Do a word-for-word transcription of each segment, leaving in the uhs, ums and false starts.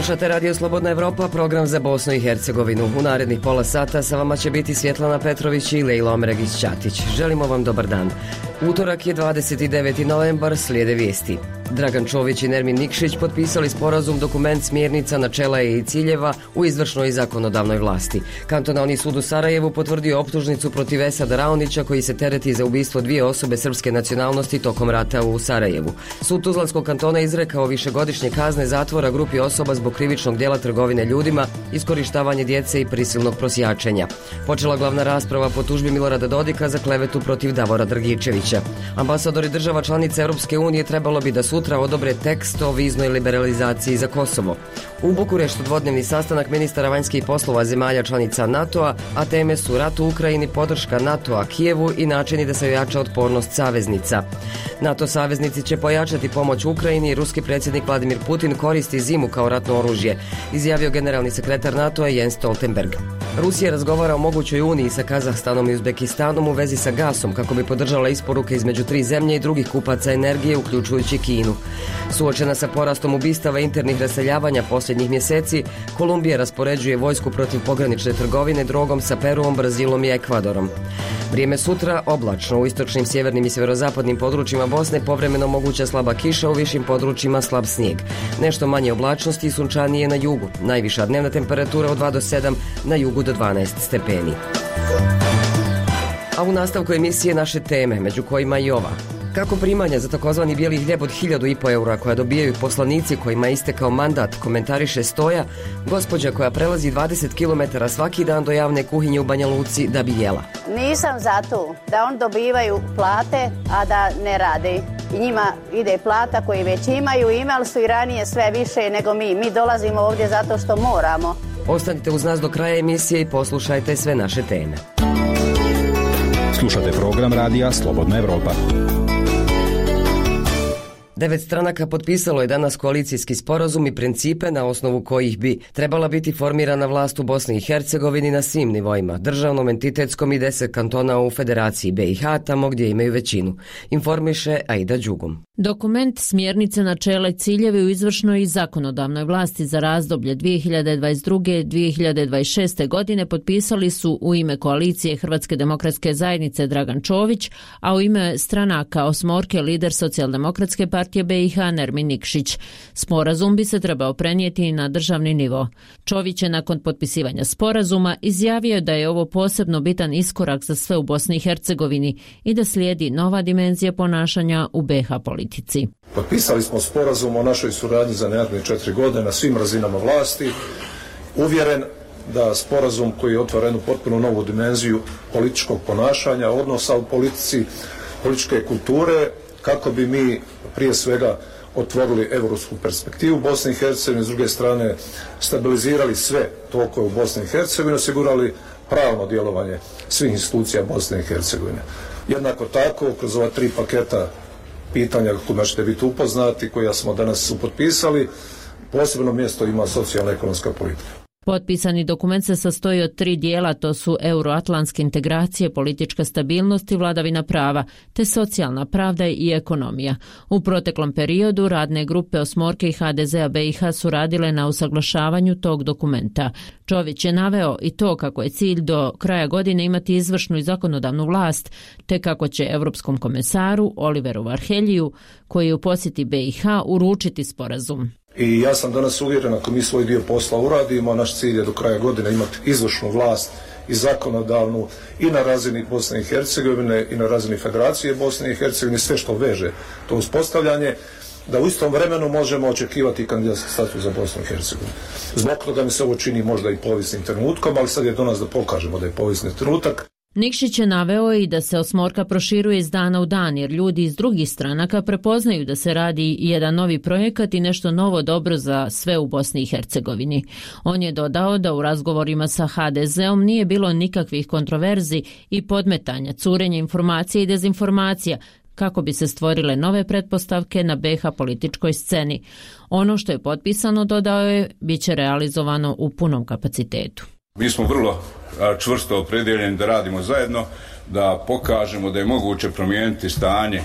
Slušate Radio Slobodna Evropa, program za Bosnu i Hercegovinu. U narednih pola sata sa vama će biti Svjetlana Petrović i Lejla Omregić-Ćatić. Želimo vam dobar dan. Utorak je dvadeset deveti novembar, slijede vijesti. Dragan Čović i Nermin Nikšić potpisali sporazum dokument smjernica, načela i ciljeva u izvršnoj i zakonodavnoj vlasti. Kantonalni sud u Sarajevu potvrdio optužnicu protiv Esada Raonića koji se tereti za ubistvo dvije osobe srpske nacionalnosti tokom rata u Sarajevu. Sud Tuzlanskog kantona izrekao višegodišnje kazne zatvora grupi osoba zbog krivičnog djela trgovine ljudima, iskorištavanje djece i prisilnog prosjačenja. Počela glavna rasprava po tužbi Milorada Dodika za klevetu protiv Davora Dragičevića. Ambasadori država članica Europske unije trebalo bi da sutra odobre tekst o viznoj liberalizaciji za Kosovo. U Bukureštu dvodnevni sastanak ministara vanjskih poslova zemalja članica NATO-a, a teme su rat u Ukrajini, podrška NATO-a Kijevu i načini da se ojača otpornost saveznica. NATO saveznici će pojačati pomoć Ukrajini i ruski predsjednik Vladimir Putin koristi zimu kao ratno oružje, izjavio generalni sekretar NATO-a Jens Stoltenberg. Rusija razgovara o mogućoj uniji sa Kazahstanom i Uzbekistanom u vezi sa gasom kako bi podržala isporuke između tri zemlje i drugih kupaca energije, uključujući Kinu. Suočena sa porastom ubistava i internih raseljavanja posljednjih mjeseci, Kolumbija raspoređuje vojsku protiv pogranične trgovine drogom sa Peruom, Brazilom i Ekvadorom. Vrijeme sutra oblačno, u istočnim, sjevernim i sjeverozapadnim područjima Bosne povremeno moguća slaba kiša, u višim područjima slab snijeg. Nešto manje oblačnosti i sunčanije na jugu. Najviša dnevna temperatura od dva do sedam, na jugu do dvanaest stepeni. A u nastavku emisije naše teme, među kojima i ova. Kako primanja za takozvani bijeli hljeb od hiljadu i po eura koja dobijaju poslanici kojima je istekao mandat, komentariše Stoja, gospođa koja prelazi dvadeset kilometara svaki dan do javne kuhinje u Banja Luci da bi jela. Nisam za to da oni dobivaju plate, a da ne rade. I njima ide plata koji već imaju, imali su i ranije sve više nego mi. Mi dolazimo ovdje zato što moramo. Ostanite uz nas do kraja emisije i poslušajte sve naše teme. Slušate program radija Slobodna Evropa. Devet stranaka potpisalo je danas koalicijski sporazum i principe na osnovu kojih bi trebala biti formirana vlast u Bosni i Hercegovini na svim nivoima, državnom, entitetskom i deset kantona u Federaciji B i H, tamo gdje imaju većinu. Informiše Aida Đugum. Dokument smjernice, načela i ciljevi u izvršnoj i zakonodavnoj vlasti za razdoblje dvije hiljade dvadeset druge do dvije hiljade dvadeset šeste. godine potpisali su u ime koalicije Hrvatske demokratske zajednice Dragan Čović, a u ime stranaka osmorke lider Socijaldemokratske partije B i H Nermin Nikšić. Sporazum bi se trebao prenijeti na državni nivo. Čović je nakon potpisivanja sporazuma izjavio da je ovo posebno bitan iskorak za sve u Bosni i Hercegovini i da slijedi nova dimenzija ponašanja u B i H politici. Potpisali smo sporazum o našoj suradnji za naredne četiri godine na svim razinama vlasti. Uvjeren da sporazum koji otvara jednu potpuno novu dimenziju političkog ponašanja, odnosa u politici, političke kulture, kako bi mi prije svega otvorili europsku perspektivu Bosne i Hercegovine, s druge strane stabilizirali sve tokove u Bosni i Hercegovini, osigurali pravno djelovanje svih institucija Bosne i Hercegovine. Jednako tako, kroz ova tri paketa pitanja kojima ćete biti upoznati, koja smo danas potpisali, posebno mjesto ima socijalno-ekonomska politika. Potpisani dokument se sastoji od tri dijela, to su euroatlantske integracije, politička stabilnost i vladavina prava, te socijalna pravda i ekonomija. U proteklom periodu radne grupe osmorke i H D Z-a B i H su radile na usaglašavanju tog dokumenta. Čović je naveo i to kako je cilj do kraja godine imati izvršnu i zakonodavnu vlast, te kako će Europskom komesaru Oliveru Varheljiju, koji je u posjeti B i H, uručiti sporazum. I ja sam danas uvjeren, ako mi svoj dio posla uradimo, naš cilj je do kraja godine imati izvršnu vlast i zakonodavnu i na razini Bosne i Hercegovine i na razini Federacije Bosne i Hercegovine, sve što veže to uspostavljanje, da u istom vremenu možemo očekivati kandidatski status za Bosnu i Hercegovinu. Zbog toga mi se ovo čini možda i povijesnim trenutkom, ali sad je do nas da pokažemo da je povijesni trenutak. Nikšić je naveo i da se osmorka proširuje iz dana u dan, jer ljudi iz drugih stranaka prepoznaju da se radi jedan novi projekat i nešto novo dobro za sve u Bosni i Hercegovini. On je dodao da u razgovorima sa H D Z-om nije bilo nikakvih kontroverzi i podmetanja, curenja informacija i dezinformacija, kako bi se stvorile nove pretpostavke na B i H političkoj sceni. Ono što je potpisano, dodao je, bit će realizovano u punom kapacitetu. Mi smo vrlo čvrsto opredjeljeni da radimo zajedno, da pokažemo da je moguće promijeniti stanje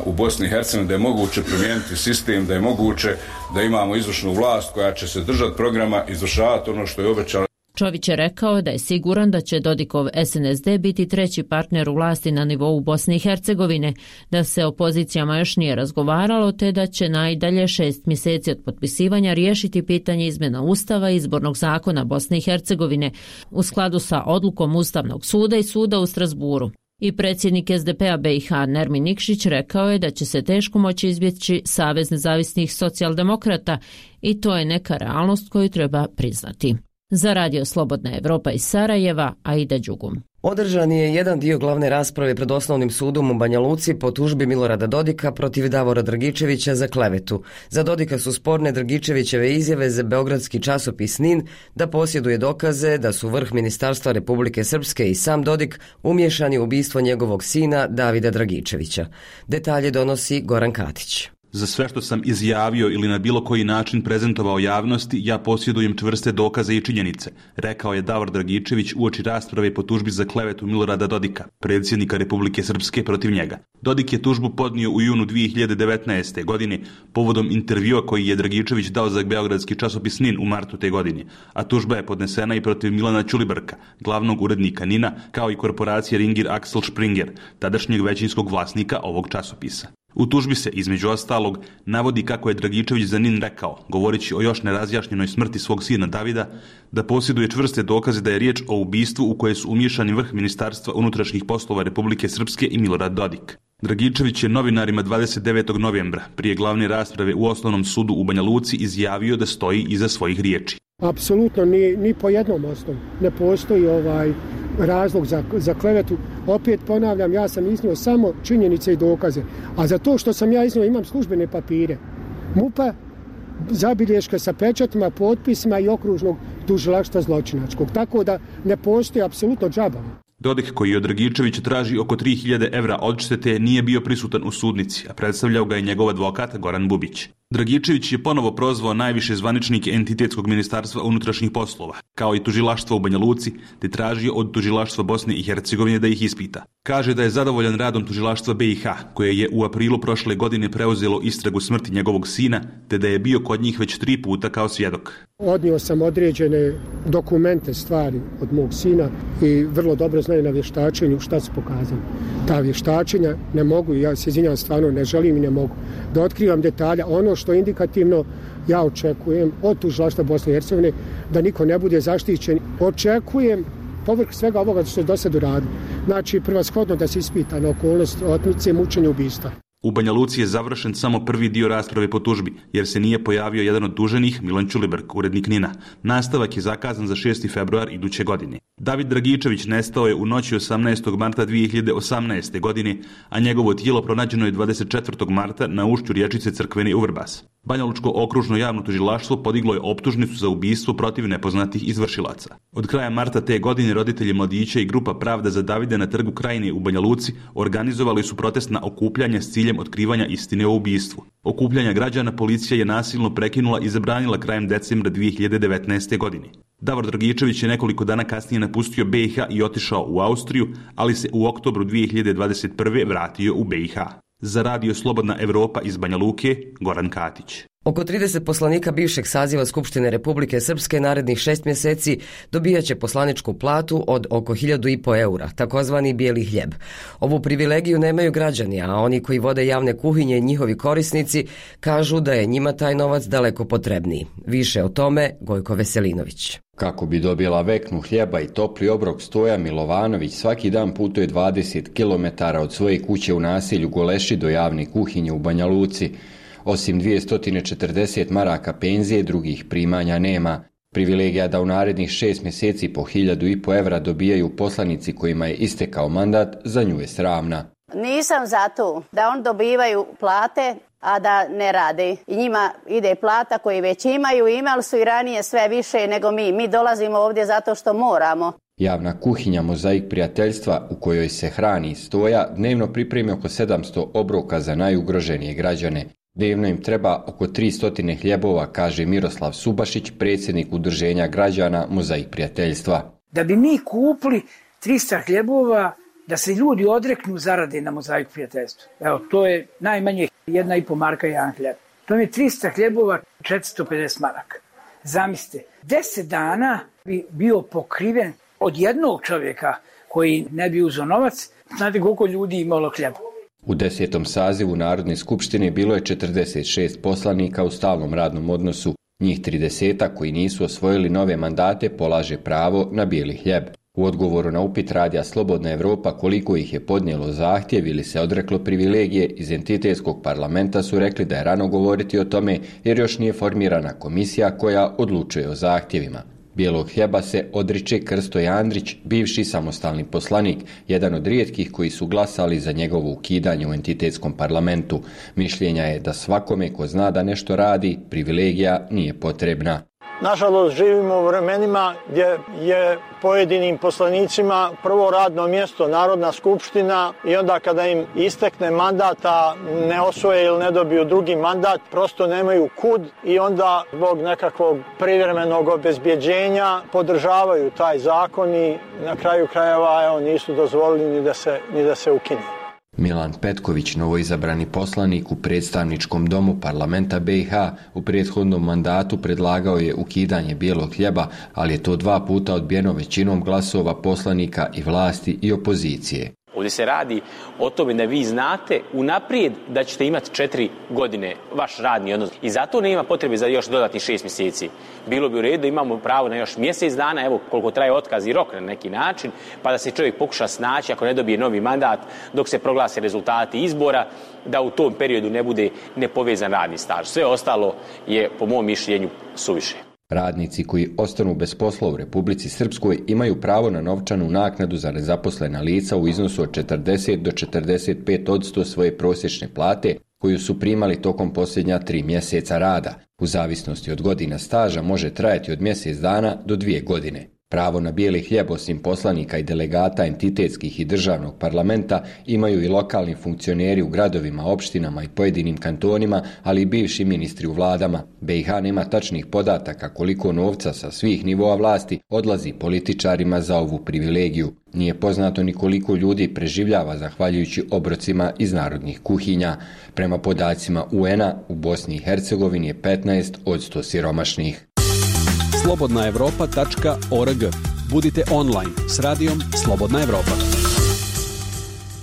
u Bosni i Hercegovini, da je moguće promijeniti sistem, da je moguće da imamo izvršnu vlast koja će se držati programa, izvršavati ono što je obećala. Čović je rekao da je siguran da će Dodikov S N S D biti treći partner u vlasti na nivou Bosne i Hercegovine, da se o pozicijama još nije razgovaralo, te da će najdalje šest mjeseci od potpisivanja riješiti pitanje izmjena Ustava i izbornog zakona Bosne i Hercegovine u skladu sa odlukom Ustavnog suda i suda u Strasburu. I predsjednik S D P-a B i H Nermin Nikšić rekao je da će se teško moći izbjeći Savez nezavisnih socijaldemokrata i to je neka realnost koju treba priznati. Za Radio Slobodna Evropa iz Sarajeva, Aida Đugum. Održan je jedan dio glavne rasprave pred Osnovnim sudom u Banja Luci po tužbi Milorada Dodika protiv Davora Dragičevića za klevetu. Za Dodika su sporne Dragičevićeve izjave za beogradski časopis N I N da posjeduje dokaze da su vrh Ministarstva Republike Srpske i sam Dodik umiješani u ubistvo njegovog sina Davida Dragičevića. Detalje donosi Goran Katić. Za sve što sam izjavio ili na bilo koji način prezentovao javnosti, ja posjedujem čvrste dokaze i činjenice, rekao je Davor Dragičević uoči rasprave po tužbi za klevetu Milorada Dodika, predsjednika Republike Srpske, protiv njega. Dodik je tužbu podnio u junu dvije hiljade devetnaeste. godine povodom intervjua koji je Dragičević dao za beogradski časopis N I N u martu te godine, a tužba je podnesena i protiv Milana Ćulibrka, glavnog urednika N I N-a, kao i korporacije Ringir Axel Springer, tadašnjeg većinskog vlasnika ovog časopisa. U tužbi se, između ostalog, navodi kako je Dragičević za N I N rekao, govoreći o još nerazjašnjenoj smrti svog sina Davida, da posjeduje čvrste dokaze da je riječ o ubistvu u koje su umiješani vrh Ministarstva unutrašnjih poslova Republike Srpske i Milorad Dodik. Dragičević je novinarima dvadeset devetog novembra, prije glavne rasprave u Osnovnom sudu u Banja Luci, izjavio da stoji iza svojih riječi. Apsolutno ni, ni po jednom osnovu ne postoji ovaj razlog za, za klevetu. Opet ponavljam, ja sam iznio samo činjenice i dokaze, a za to što sam ja iznio imam službene papire MUP-a, zabilješke sa pečatima, potpisima i okružnog tužilaštva zločinačkog, tako da ne postoji apsolutno džaba. Dodik, koji od Dragičevića traži oko tri hiljade evra odštete, nije bio prisutan u sudnici, a predstavljao ga je njegov advokat Goran Bubić. Dragičević je ponovo prozvao najviše zvaničnike entitetskog ministarstva unutrašnjih poslova, kao i tužilaštva u Banja Luci, te tražio od tužilaštva Bosne i Hercegovine da ih ispita. Kaže da je zadovoljan radom tužilaštva B i H, koje je u aprilu prošle godine preuzelo istragu smrti njegovog sina, te da je bio kod njih već tri puta kao svjedok. Odnio sam određene dokumente, stvari od mog sina i vrlo dobro znaju na vještačenju šta su pokazali. Ta vještačenja ne mogu, ja se izvinjam, stvarno ne želim i ne mogu da otkrivam detalja. Ono što je indikativno, ja očekujem od tužilaštva Bosne i Hercegovine da niko ne bude zaštićen. Očekujem povrh svega ovoga što se do sad uradilo. Znači, prvashodno da se ispita na okolnost otmice, mučenja, ubistva. U Banja Luci je završen samo prvi dio rasprave po tužbi, jer se nije pojavio jedan od tuženih, Milan Ćulibrk, urednik N I N-a. Nastavak je zakazan za šesti februar iduće godine. David Dragičević nestao je u noći osamnaestog marta dvije hiljade osamnaeste. godine, a njegovo tijelo pronađeno je dvadeset četvrtog marta na ušću riječice Crkveni u Vrbas. Banjalučko okružno javno tužilaštvo podiglo je optužnicu za ubistvo protiv nepoznatih izvršilaca. Od kraja marta te godine roditelji mladića i grupa Pravda za Davide na trgu Krajine u Banja Luci organizovali su protestna okupljanja s ciljem otkrivanja istine o ubistvu. Okupljanja građana policija je nasilno prekinula i zabranila krajem decembra dvije hiljade devetnaeste. godine. Davor Dragičević je nekoliko dana kasnije napustio B i H i otišao u Austriju, ali se u oktobru dvije hiljade dvadeset prve. vratio u B i H. Za Radio Slobodna Evropa iz Banja Luke, Goran Katić. Oko trideset poslanika bivšeg saziva Skupštine Republike Srpske narednih šest mjeseci dobijat će poslaničku platu od oko hiljadu i po eura, takozvani bijeli hljeb. Ovu privilegiju nemaju građani, a oni koji vode javne kuhinje i njihovi korisnici kažu da je njima taj novac daleko potrebniji. Više o tome Gojko Veselinović. Kako bi dobila veknu hljeba i topli obrok, Stoja Milovanović svaki dan putuje dvadeset kilometara od svoje kuće u naselju Goleši do javne kuhinje u Banja Luci. Osim dvjesto četrdeset maraka penzije, drugih primanja nema. Privilegija da u narednih šest mjeseci po hiljadu i po evra dobijaju poslanici kojima je istekao mandat, za nju je sramna. Nisam za to da on dobivaju plate, a da ne rade. I njima ide plata koji već imaju, imali su i ranije sve više nego mi. Mi dolazimo ovdje zato što moramo. Javna kuhinja Mozaik prijateljstva, u kojoj se hrani Stoja, dnevno pripremi oko sedamsto obroka za najugroženije građane. Dnevno im treba oko tristo hljebova, kaže Miroslav Subašić, predsjednik udruženja građana Mozaik prijateljstva. Da bi mi kupili tristo hljebova, da se ljudi odreknu zarade na Mozaik prijateljstvu. Evo, to je najmanje jedna i po marka jedan hljeb. To je tristo hljebova, četiristo pedeset maraka. Zamislite, deset dana bi bio pokriven od jednog čovjeka koji ne bi uzeo novac. Znate koliko ljudi imalo hljeba? U desetom sazivu Narodne skupštine bilo je četrdeset šest poslanika u stalnom radnom odnosu. Njih trideset koji nisu osvojili nove mandate polaže pravo na bijeli hljeb. U odgovoru na upit radija Slobodna Evropa koliko ih je podnijelo zahtjev ili se odreklo privilegije iz entitetskog parlamenta su rekli da je rano govoriti o tome jer još nije formirana komisija koja odlučuje o zahtjevima. Bijelog hljeba se odriče Krsto Jandrić, bivši samostalni poslanik, jedan od rijetkih koji su glasali za njegovo ukidanje u entitetskom parlamentu. Mišljenja je da svakome ko zna da nešto radi, privilegija nije potrebna. Nažalost, živimo u vremenima gdje je pojedinim poslanicima prvo radno mjesto Narodna skupština i onda kada im istekne mandata, ne osvoje ili ne dobiju drugi mandat, prosto nemaju kud i onda zbog nekakvog privremenog obezbjeđenja podržavaju taj zakon i na kraju krajeva evo, nisu dozvolili ni da se, ni da se ukine. Milan Petković, novoizabrani poslanik u predstavničkom domu parlamenta B i H, u prethodnom mandatu predlagao je ukidanje bijelog hljeba, ali je to dva puta odbijeno većinom glasova poslanika i vlasti i opozicije. Ovdje se radi o tome da vi znate unaprijed da ćete imati četiri godine vaš radni odnos. I zato nema potrebe za još dodatnih šest mjeseci. Bilo bi u redu da imamo pravo na još mjesec dana, evo koliko traje otkaz i rok na neki način, pa da se čovjek pokuša snaći ako ne dobije novi mandat dok se proglase rezultati izbora, da u tom periodu ne bude nepovezan radni staž. Sve ostalo je po mom mišljenju suviše. Radnici koji ostanu bez posla u Republici Srpskoj imaju pravo na novčanu naknadu za nezaposlena lica u iznosu od četrdeset do četrdeset pet posto svoje prosječne plate koju su primali tokom posljednja tri mjeseca rada. U zavisnosti od godina staža može trajati od mjesec dana do dvije godine. Pravo na bijeli hljeb osim poslanika i delegata entitetskih i državnog parlamenta imaju i lokalni funkcioneri u gradovima, opštinama i pojedinim kantonima, ali i bivši ministri u vladama. B i H nema tačnih podataka koliko novca sa svih nivoa vlasti odlazi političarima za ovu privilegiju. Nije poznato ni koliko ljudi preživljava zahvaljujući obrocima iz narodnih kuhinja. Prema podacima U N-a u Bosni i Hercegovini je petnaest posto siromašnih. slobodna evropa tačka org. Budite online s radijom Slobodna Evropa.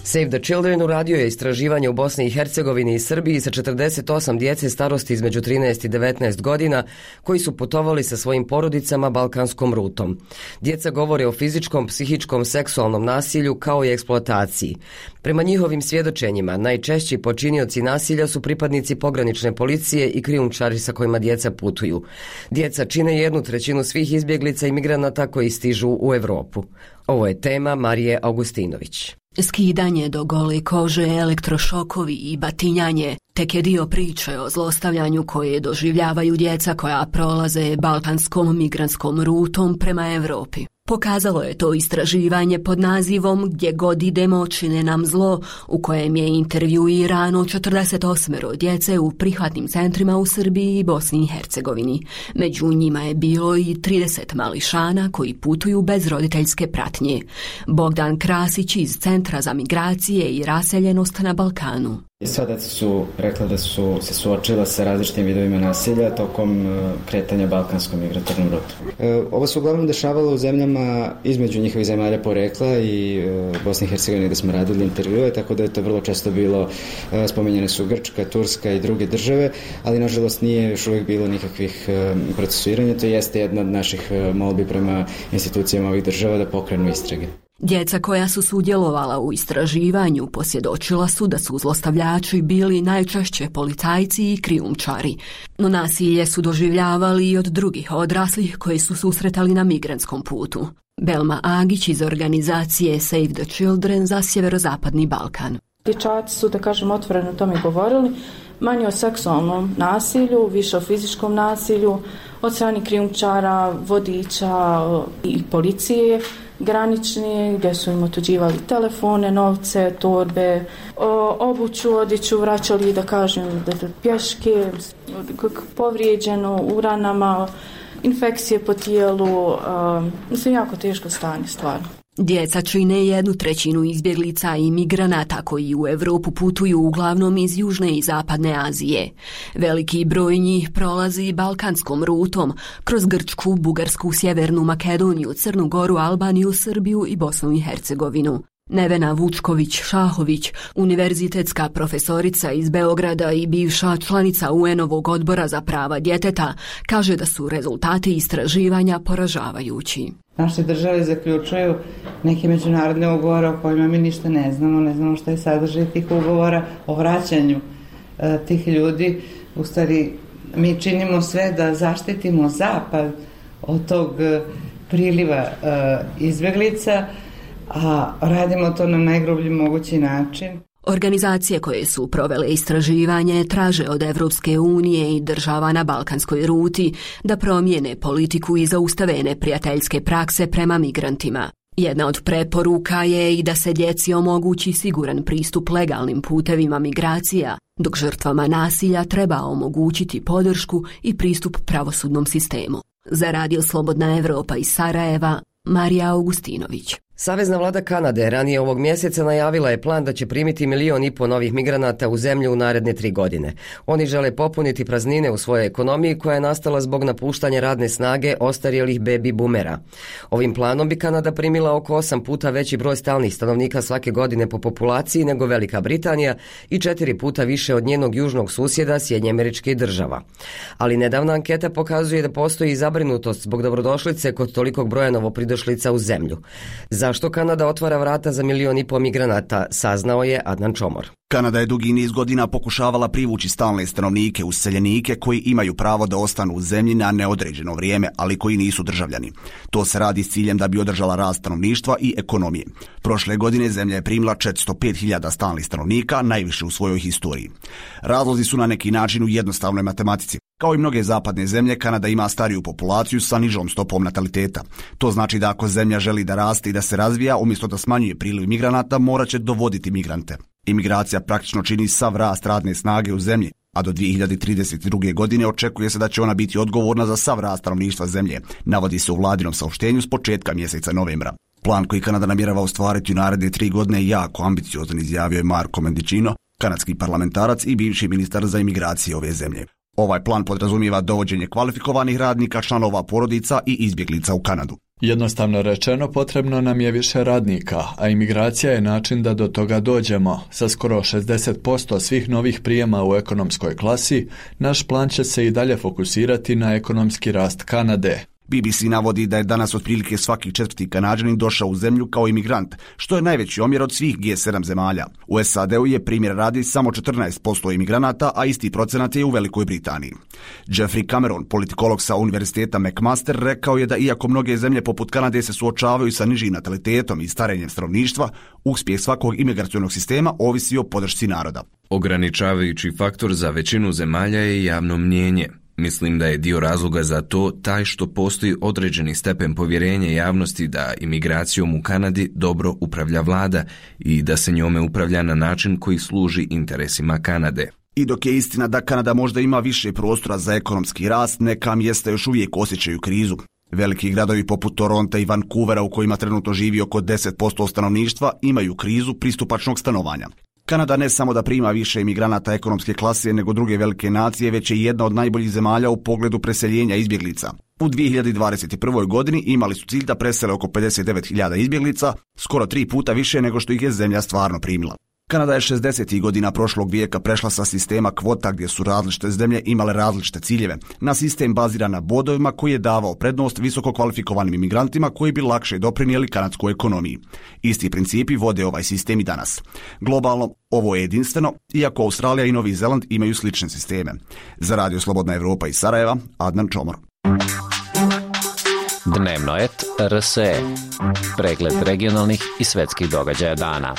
Save the Children uradio je istraživanje u Bosni i Hercegovini i Srbiji sa četrdeset osam djece starosti između trinaest i devetnaest godina koji su putovali sa svojim porodicama balkanskom rutom. Djeca govore o fizičkom, psihičkom, seksualnom nasilju kao i eksploataciji. Prema njihovim svjedočenjima, najčešći počinioci nasilja su pripadnici pogranične policije i krijumčari sa kojima djeca putuju. Djeca čine jednu trećinu svih izbjeglica i migranata koji stižu u Europu. Ovo je tema Marije Augustinović. Skidanje do gole kože, elektrošokovi i batinjanje tek je dio priče o zlostavljanju koje doživljavaju djeca koja prolaze balkanskom migrantskom rutom prema Europi. Pokazalo je to istraživanje pod nazivom Gdje god idemo čine nam zlo, u kojem je intervjuirano četrdeset osam djece u prihvatnim centrima u Srbiji i Bosni i Hercegovini. Među njima je bilo i trideset mališana koji putuju bez roditeljske pratnje. Bogdan Krasić iz Centra za migracije i raseljenost na Balkanu. Sva djeca su rekla da su se suočila sa različitim vidovima nasilja tokom kretanja balkanskom migratornom rutom. Ovo se uglavnom dešavalo u zemljama između njihovih zemalja porekla i Bosne i Hercegovine gdje smo radili intervjue, tako da je to vrlo često bilo, spomenjene su Grčka, Turska i druge države, ali nažalost nije još uvijek bilo nikakvih procesuiranja. To jeste jedna od naših molbi prema institucijama ovih država da pokrenu istrage. Djeca koja su sudjelovala u istraživanju posvjedočila su da su zlostavljači bili najčešće policajci i krijumčari, no nasilje su doživljavali i od drugih odraslih koji su susretali na migrantskom putu. Belma Agić iz organizacije Save the Children za sjeverozapadni Balkan. Dječaci su, da kažem, otvoreno o tome govorili, manje o seksualnom nasilju, više o fizičkom nasilju, od strane krijumčara, vodiča i policije. granični, gdje su im otuđivali telefone, novce, torbe, obuću, odjeću, vraćali, da kažem, pješke, povrijeđeno u ranama, infekcije po tijelu, mislim, jako teško stanje, stvarno. Djeca čine jednu trećinu izbjeglica i migranata koji u Europu putuju uglavnom iz Južne i Zapadne Azije. Veliki broj njih prolazi balkanskom rutom kroz Grčku, Bugarsku, Sjevernu Makedoniju, Crnu Goru, Albaniju, Srbiju i Bosnu i Hercegovinu. Nevena Vučković-Šahović, univerzitetska profesorica iz Beograda i bivša članica U N-ovog odbora za prava djeteta, kaže da su rezultati istraživanja poražavajući. Naše države zaključuju neke međunarodne ugovore o kojima mi ništa ne znamo, ne znamo šta je sadržaj tih ugovora o vraćanju e, tih ljudi. U stvari, mi činimo sve da zaštitimo Zapad od tog e, priliva e, izbjeglica, a radimo to na najgrublji mogući način. Organizacije koje su provele istraživanje traže od Evropske unije i država na balkanskoj ruti da promijene politiku i zaustave neprijateljske prakse prema migrantima. Jedna od preporuka je i da se djeci omogući siguran pristup legalnim putevima migracija, dok žrtvama nasilja treba omogućiti podršku i pristup pravosudnom sistemu. Za Radio Slobodna Evropa iz Sarajeva, Marija Augustinović. Savezna vlada Kanade ranije ovog mjeseca najavila je plan da će primiti milijon i po novih migranata u zemlju u naredne tri godine. Oni žele popuniti praznine u svojoj ekonomiji koja je nastala zbog napuštanja radne snage ostarjelih baby boomera. Ovim planom bi Kanada primila oko osam puta veći broj stalnih stanovnika svake godine po populaciji nego Velika Britanija i četiri puta više od njenog južnog susjeda Sjedinjenih Američkih Država. Ali nedavna anketa pokazuje da postoji zabrinutost zbog dobrodošlice kod tolikog broja novopridošlica u zemlju. Zašto Kanada otvara vrata za milijon i po migranata, saznao je Adnan Čomor. Kanada je dugi niz godina pokušavala privući stalne stanovnike, useljenike koji imaju pravo da ostanu u zemlji na neodređeno vrijeme, ali koji nisu državljani. To se radi s ciljem da bi održala rast stanovništva i ekonomije. Prošle godine zemlja je primila četiristo pet hiljada stalnih stanovnika, najviše u svojoj historiji. Razlozi su na neki način u jednostavnoj matematici. Kao i mnoge zapadne zemlje, Kanada ima stariju populaciju sa nižom stopom nataliteta. To znači da ako zemlja želi da raste i da se razvija, umjesto da smanjuje priliv migranata, morat će dovoditi migrante. Imigracija praktično čini sav rast radne snage u zemlji, a do dvije hiljade trideset druge. godine očekuje se da će ona biti odgovorna za sav rast stanovništva zemlje, navodi se u vladinom saopštenju s početka mjeseca novembra. Plan koji Kanada namjerava ostvariti u naredne tri godine je jako ambiciozan, izjavio je Marco Mendicino, kanadski parlamentarac i bivši ministar za imigracije ove zemlje. Ovaj plan podrazumijeva dovođenje kvalifikovanih radnika, članova porodica i izbjeglica u Kanadu. Jednostavno rečeno, potrebno nam je više radnika, a imigracija je način da do toga dođemo. Sa skoro šezdeset posto svih novih prijema u ekonomskoj klasi, naš plan će se i dalje fokusirati na ekonomski rast Kanade. B B C navodi da je danas otprilike svaki četvrti Kanađanin došao u zemlju kao imigrant, što je najveći omjer od svih G sedam zemalja. U S A D-u je primjer radi samo četrnaest posto imigranata, a isti procenat je u Velikoj Britaniji. Jeffrey Cameron, politikolog sa Univerziteta McMaster, rekao je da iako mnoge zemlje poput Kanade se suočavaju sa nižim natalitetom i starenjem stanovništva, uspjeh svakog imigracionog sistema ovisi o podršci naroda. Ograničavajući faktor za većinu zemalja je javno mnijenje. Mislim da je dio razloga za to taj što postoji određeni stepen povjerenja javnosti da imigracijom u Kanadi dobro upravlja vlada i da se njome upravlja na način koji služi interesima Kanade. I dok je istina da Kanada možda ima više prostora za ekonomski rast, neka mjesta još uvijek osjećaju krizu. Veliki gradovi poput Toronta i Vancouvera, u kojima trenutno živi oko deset posto stanovništva, imaju krizu pristupačnog stanovanja. Kanada ne samo da prima više imigranata ekonomske klase nego druge velike nacije, već je jedna od najboljih zemalja u pogledu preseljenja izbjeglica. U dvije hiljade dvadeset prvoj. godini imali su cilj da presele oko pedeset devet hiljada izbjeglica, skoro tri puta više nego što ih je zemlja stvarno primila. Kanada je šezdesetih godina prošlog vijeka prešla sa sistema kvota gdje su različite zemlje imale različite ciljeve, na sistem baziran na bodovima koji je davao prednost visoko kvalifikovanim imigrantima koji bi lakše doprinijeli kanadskoj ekonomiji. Isti principi vode ovaj sistem i danas. Globalno, ovo je jedinstveno, iako Australija i Novi Zeland imaju slične sisteme. Za Radio Slobodna Evropa iz Sarajeva, Adnan Čomor. Dnevno et R S E. Pregled regionalnih i svetskih događaja dana.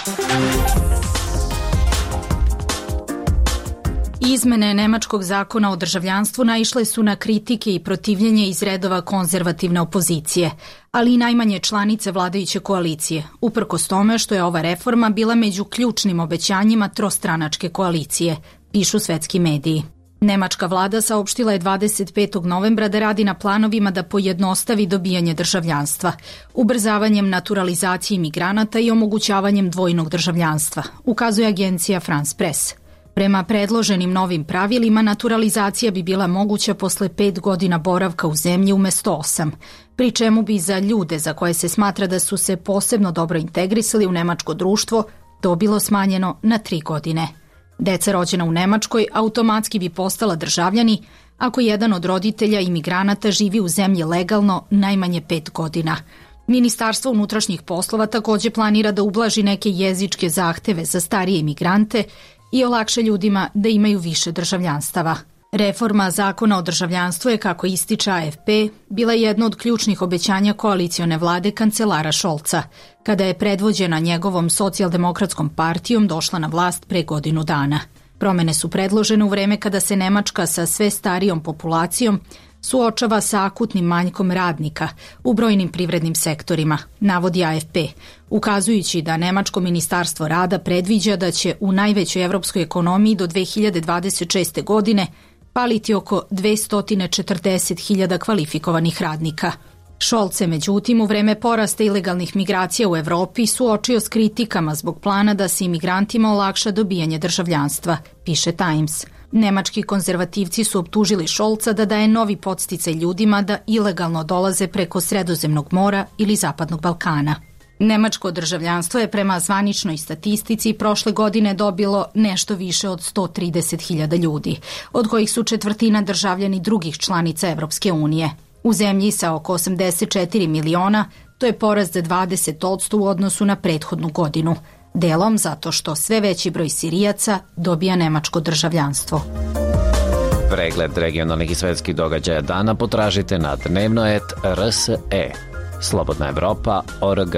Izmene nemačkog zakona o državljanstvu naišle su na kritike i protivljenje iz redova konzervativne opozicije, ali i najmanje članice vladajuće koalicije, uprkos tome što je ova reforma bila među ključnim obećanjima trostranačke koalicije, pišu svetski mediji. Nemačka vlada saopštila je dvadeset petog novembra da radi na planovima da pojednostavi dobijanje državljanstva, ubrzavanjem naturalizacije imigranata i omogućavanjem dvojnog državljanstva, ukazuje agencija France Press. Prema predloženim novim pravilima, naturalizacija bi bila moguća posle pet godina boravka u zemlji umesto osam, pri čemu bi za ljude za koje se smatra da su se posebno dobro integrisali u nemačko društvo to bilo smanjeno na tri godine. Deca rođena u Nemačkoj automatski bi postala državljani ako jedan od roditelja imigranata živi u zemlji legalno najmanje pet godina. Ministarstvo unutrašnjih poslova takođe planira da ublaži neke jezičke zahteve za starije imigrante i olakša ljudima da imaju više državljanstava. Reforma zakona o državljanstvu je, kako ističe A F P, bila jedno od ključnih obećanja koalicione vlade kancelara Scholza, kada je predvođena njegovom socijaldemokratskom partijom došla na vlast pre godinu dana. Promene su predložene u vreme kada se Nemačka sa sve starijom populacijom suočava sa akutnim manjkom radnika u brojnim privrednim sektorima, navodi A F P, ukazujući da Nemačko ministarstvo rada predviđa da će u najvećoj evropskoj ekonomiji do dve hiljade dvadeset šeste. godine paliti oko dvesta četrdeset hiljada kvalifikovanih radnika. Scholz se međutim u vreme porasta ilegalnih migracija u Evropi suočio s kritikama zbog plana da se imigrantima olakša dobijanje državljanstva, piše Times. Nemački konzervativci su optužili Scholza da daje novi podsticaj ljudima da ilegalno dolaze preko Sredozemnog mora ili Zapadnog Balkana. Nemačko državljanstvo je prema zvaničnoj statistici prošle godine dobilo nešto više od sto trideset hiljada ljudi, od kojih su četvrtina državljani drugih članica Evropske unije. U zemlji sa oko osamdeset četiri miliona to je porast za dvadeset posto u odnosu na prethodnu godinu, delom zato što sve veći broj Sirijaca dobija nemačko državljanstvo. Pregled regionalnih i svetskih događaja dana potražite na dnevno et R S E. Slobodna Evropa точка org.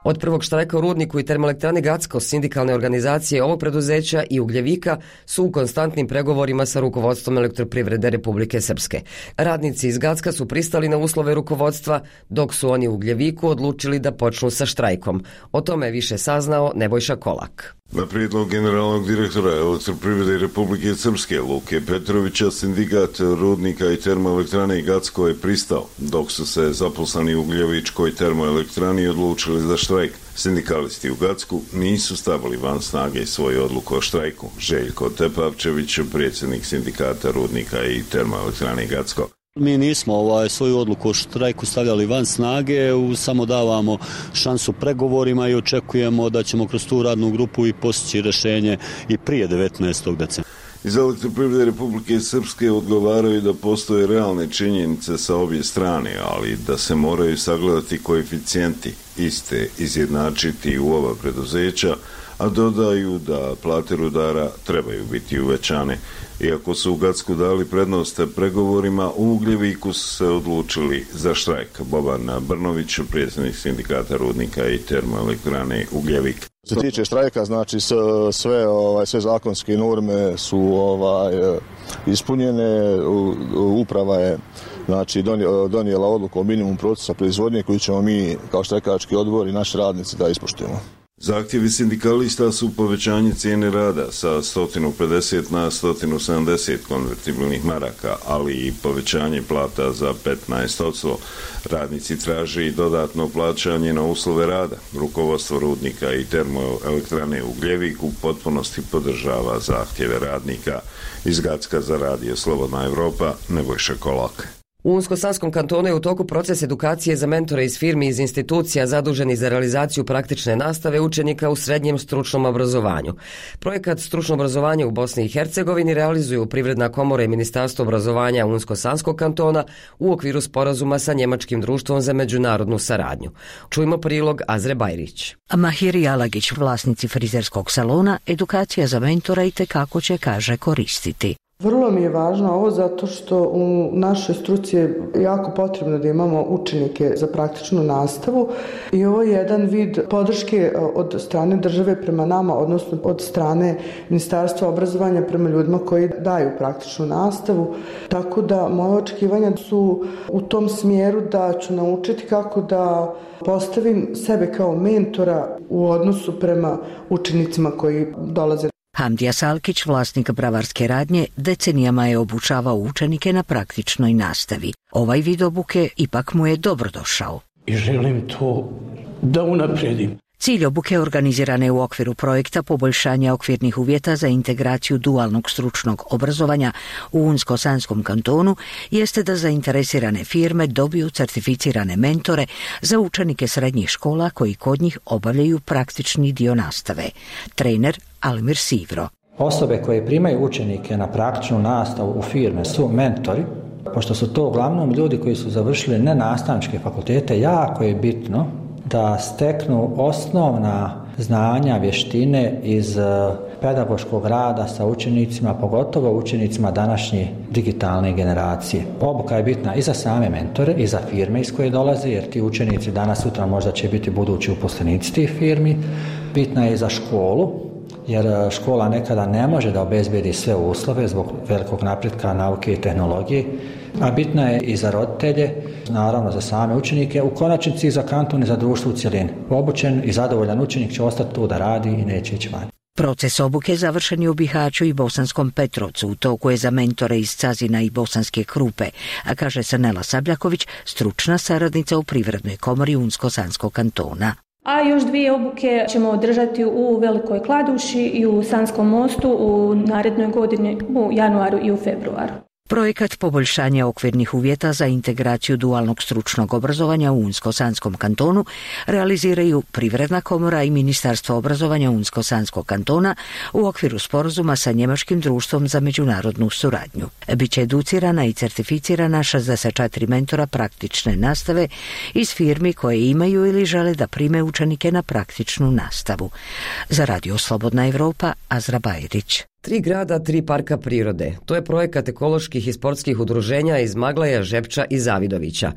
Od prvog štrajka u rudniku i termoelektrani Gacko, sindikalne organizacije ovog preduzeća i Ugljevika su u konstantnim pregovorima sa rukovodstvom Elektroprivrede Republike Srpske. Radnici iz Gacka su pristali na uslove rukovodstva, dok su oni u Ugljeviku odlučili da počnu sa štrajkom. O tome je više saznao Nebojša Kolak. Na prijedlog generalnog direktora Elektroprivrede Republike Srpske Luke Petrovića, sindikat rudnika i termoelektrane Gacko je pristao, dok su se zaposleni u Ugljevičkoj termoelektrani odlučili za štrajk. Sindikalisti u Gacku nisu stavili van snage svoju odluku o štrajku. Željko Tepavčević, predsjednik sindikata rudnika i termoelektrane Gacko. Mi nismo ovaj, svoju odluku o štrajku stavljali van snage, u, samo davamo šansu pregovorima i očekujemo da ćemo kroz tu radnu grupu i postići rješenje i prije devetnaestog decembra. Iz Elektroprivrede Republike Srpske odgovaraju da postoje realne činjenice sa obje strane, ali da se moraju sagledati koeficijenti iste izjednačiti u ova preduzeća, a dodaju da plate rudara trebaju biti uvećane. Iako su u Gacku dali prednost pregovorima, u Ugljeviku su se odlučili za štrajk. Boban Brnović, predsjednik sindikata rudnika i termoelektrane Ugljevik. Što se tiče štrajka, znači sve ovaj sve zakonske norme su ovaj ispunjene. Uprava je znači donijela odluku o minimum procesa proizvodnje koju ćemo mi kao štrajkački odbor i naši radnici da ispoštujemo. Zahtjevi sindikalista su povećanje cijene rada sa sto pedeset na sto sedamdeset konvertibilnih maraka, ali i povećanje plata za petnaest posto. Radnici traže i dodatno plaćanje na uslove rada. Rukovodstvo rudnika i termoelektrane Ugljevik u potpunosti podržava zahtjeve radnika. Iz Gacka za radio Slobodna Evropa, Nebojša Kolak. U Unsko-Sanskom kantonu je u toku proces edukacije za mentore iz firmi iz institucija zaduženih za realizaciju praktične nastave učenika u srednjem stručnom obrazovanju. Projekat stručno obrazovanje u Bosni i Hercegovini realizuju Privredna komora i Ministarstvo obrazovanja Unsko-Sanskog kantona u okviru sporazuma sa Njemačkim društvom za međunarodnu saradnju. Čujmo prilog Azre Bajrić. Mahiri Alagić, vlasnici frizerskog salona, edukacija za mentora i tekako će, kaže, koristiti. Vrlo mi je važno ovo zato što u našoj struci je jako potrebno da imamo učenike za praktičnu nastavu i ovo je jedan vid podrške od strane države prema nama, odnosno od strane Ministarstva obrazovanja prema ljudima koji daju praktičnu nastavu. Tako da moje očekivanja su u tom smjeru da ću naučiti kako da postavim sebe kao mentora u odnosu prema učenicima koji dolaze. Hamdija Salkić, vlasnik bravarske radnje, decenijama je obučavao učenike na praktičnoj nastavi. Ovaj vid obuke ipak mu je dobrodošao. I želim to da unapredim. Cilj obuke organizirane u okviru projekta poboljšanja okvirnih uvjeta za integraciju dualnog stručnog obrazovanja u Unsko-Sanskom kantonu jeste da zainteresirane firme dobiju certificirane mentore za učenike srednjih škola koji kod njih obavljaju praktični dio nastave. Trener Almir Sivro. Osobe koje primaju učenike na praktičnu nastavu u firme su mentori, pošto su to uglavnom ljudi koji su završili nenastavničke fakultete, jako je bitno da steknu osnovna znanja, vještine iz pedagoškog rada sa učenicima, pogotovo učenicima današnje digitalne generacije. Obuka je bitna i za same mentore i za firme iz koje dolaze, jer ti učenici danas sutra možda će biti budući uposlenici tih firmi. Bitna je i za školu, jer škola nekada ne može da obezbedi sve uslove zbog velikog napretka nauke i tehnologije, a bitna je i za roditelje, naravno za same učenike, u konačnici i za kanton i za društvo u cjelini. Obučen i zadovoljan učenik će ostati tu da radi i neće ići van. Proces obuke završen je u Bihaću i Bosanskom Petrovcu, u toku je za mentore iz Cazina i Bosanske Krupe, a kaže Sanela Sabljaković, stručna saradnica u Privrednoj komori Unsko-Sanskog kantona. A još dvije obuke ćemo održati u Velikoj Kladuši i u Sanskom mostu u narednoj godini u januaru i u februaru. Projekat poboljšanja okvirnih uvjeta za integraciju dualnog stručnog obrazovanja u Unsko-Sanskom kantonu realiziraju Privredna komora i Ministarstvo obrazovanja Unsko-Sanskog kantona u okviru sporazuma sa Njemačkim društvom za međunarodnu suradnju. Biće educirana i certificirana šezdeset četiri mentora praktične nastave iz firmi koje imaju ili žele da prime učenike na praktičnu nastavu. Za Radio Slobodna Evropa, Azra Bajrić. Tri grada, tri parka prirode. To je projekat ekoloških i sportskih udruženja iz Maglaja, Žepča i Zavidovića.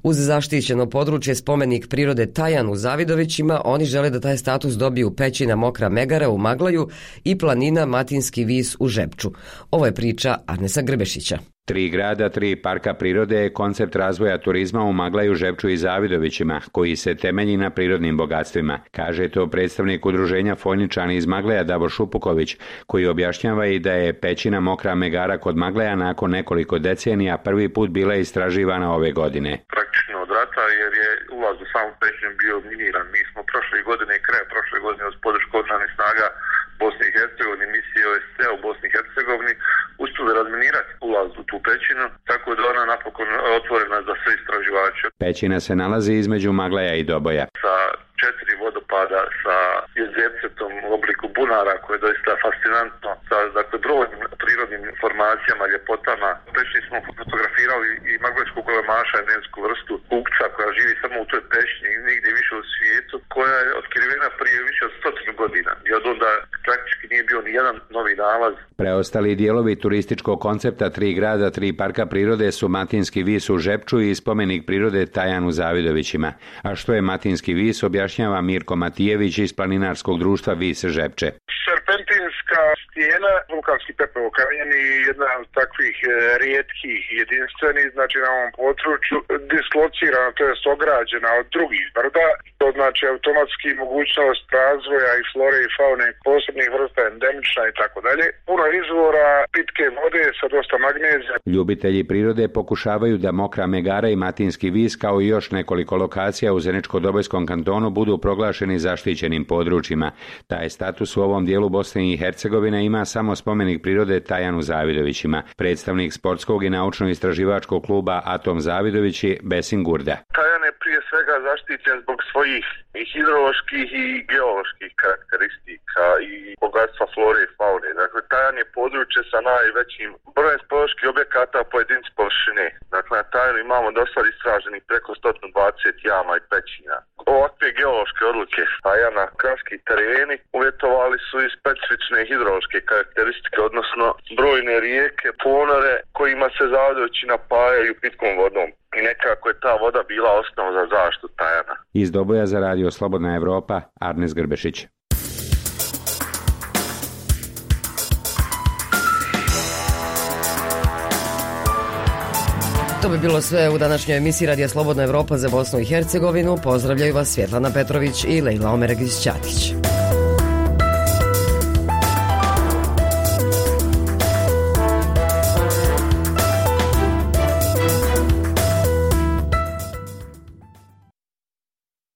Uz zaštićeno područje spomenik prirode Tajan u Zavidovićima, oni žele da taj status dobiju Pećina Mokra Megara u Maglaju i planina Matinski vis u Žepču. Ovo je priča Arnesa Grbešića. Tri grada, tri parka prirode je koncept razvoja turizma u Maglaju, Žepču i Zavidovićima, koji se temelji na prirodnim bogatstvima. Kaže to predstavnik udruženja Foljničani iz Maglaja Davor Šupuković, koji objašnjava i da je Pećina Mokra Megara kod Maglaja nakon nekoliko decenija prvi put bila istraživana ove godine. Praktično od rata, jer je ulaz u samu Pećinu bio miniran. Mi smo prošle godine, kraj prošle godine uz podršku oružanih snaga Bosne i Hercegovine, misije O S C u Bosni i Hercegovini, uspjeli razminirati ulaz u tu pećinu, tako da ona napokon otvorena za sve istraživače. Pećina se nalazi između Maglaja i Doboja. Sa četiri vodopada, sa jezercetom u obliku bunara, koje je doista fascinantno, sa dakle, brojnim prirodnim informacijama, ljepotama. U pećini smo fotografirali i maglajskog golemaša, endemsku vrstu kukca koja živi samo u toj pećini i nigdje više u svijetu, koja je otkrivena prije više od stotinu godina. I od onda praktički nije bio ni jedan novi nalaz. Preostali dijelovi turističkog koncepta tri grada, tri parka prirode su Matinski vis u Žepču i spomenik prirode Tajan u Zavidovićima. A što je Matinski vis, objašnjava Mirko Matijević iz planinarskog društva Vis Žepče. Serpentinska stijena, vulkanski pepeo kamenje i jedna od takvih rijetkih jedinstvenih, znači na ovom području, dislocirana, to jest ograđena od drugih brda, to znači automatski mogućnost razvoja i flore i faune posebnih vrsta, endemična i tako dalje. Puno izvora pitke vode sa dosta magnezija. Ljubitelji prirode pokušavaju da Mokra Megara i Matinski vis kao i još nekoliko lokacija u Zeničko-Dobojskom kantonu budu proglašeni zaštićenim područjima. Taj status u ovom dijelu Bosne i Hercegovine ima samo spomenik prirode Tajan u Zavidovićima. Predstavnik sportskog i naučno-istraživačkog kluba Atom Zavidovići Besin Gurda. Tajan je prije svega svega zaštićen zbog svojih i hidroloških i geoloških karakteristika i bogatstva flore i faune. Dakle, Tajan je područje sa najvećim brojem speleoloških objekata po jedinici površine. Dakle, na Tajanu imamo do sad istraženih preko sto dvadeset jama i pećina. Ovakve geološke odluke Tajana, kranski tereni, uvjetovali su i specifične hidrološke karakteristike, odnosno brojne rijeke, ponore kojima se zavodovići napajaju pitkom vodom. I nekako je ta voda bila osnova za zaštitu Tajana. Iz Doboja za radio Slobodna Evropa, Arnes Grbešić. To bi bilo sve u današnjoj emisiji Radija Slobodna Evropa za Bosnu i Hercegovinu. Pozdravljaju vas Svjetlana Petrović i Lejla Omeregić-Ćatić.